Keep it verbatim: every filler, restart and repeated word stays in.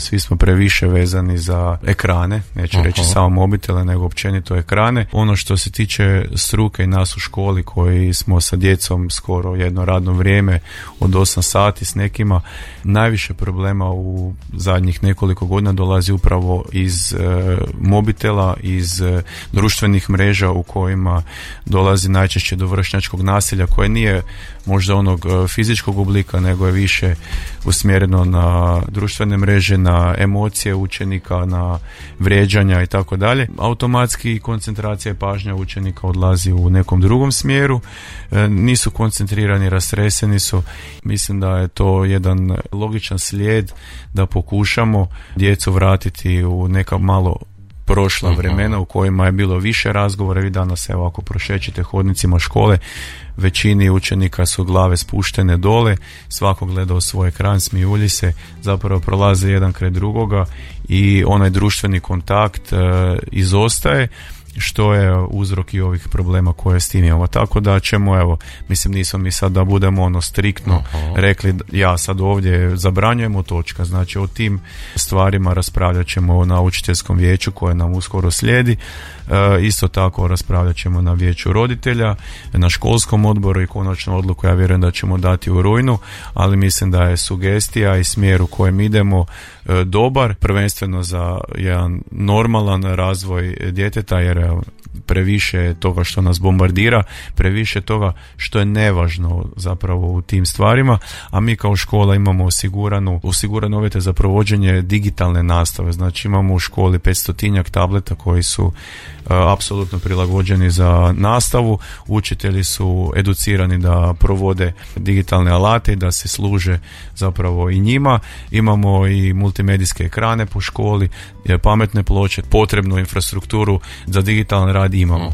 svi smo previše vezani za ekrane, neću Aha. reći samo mobitele, nego općenito ekrane. Ono što se tiče struke i nas u školi koji smo sa djecom skoro jedno radno vrijeme od osam sati s nekima, najviše problema u zadnjih nekoliko godina dolazi upravo iz e, mobitela, iz e, društvenih mreža u kojima dolazi najčešće do vršnjačkog nasilja koje nije možda onog e, fizičkog oblika, nego je više usmjereno na društvene mreže, na emocije učenika, na vrijeđanja i tako dalje. Automatski koncentracija i pažnja učenika odlazi u nekom drugom smjeru, e, nisu koncentrirani, rastreseni su. Mislim da je to jedan logičan slijed da pokušamo djecu vratiti u neka malo prošla vremena u kojima je bilo više razgovora. Vi danas, evo, ako prošećete hodnicima škole, većini učenika su glave spuštene dole, svako gleda u svoj ekran, smijulji se, zapravo prolaze jedan kraj drugoga i onaj društveni kontakt e, izostaje, što je uzrok i ovih problema koje s tim imamo. Tako da ćemo, evo, mislim, nismo mi sad da budemo ono striktno Aha. rekli, ja sad ovdje zabranjujemo, točka. Znači, o tim stvarima raspravljat ćemo na učiteljskom vijeću koje nam uskoro slijedi. E, isto tako raspravljat ćemo na vijeću roditelja, na školskom odboru i konačnu odluku ja vjerujem da ćemo dati u rujnu, ali mislim da je sugestija i smjer u kojem idemo e, dobar, prvenstveno za jedan normalan razvoj djeteta, jer previše toga što nas bombardira, previše toga što je nevažno zapravo u tim stvarima, a mi kao škola imamo osiguranu, osigurane uvjete za provođenje digitalne nastave. Znači imamo u školi petstotinjak tableta koji su uh, apsolutno prilagođeni za nastavu, učitelji su educirani da provode digitalne alate i da se služe zapravo i njima. Imamo i multimedijske ekrane po školi, pametne ploče, potrebnu infrastrukturu za digitalan rad imamo.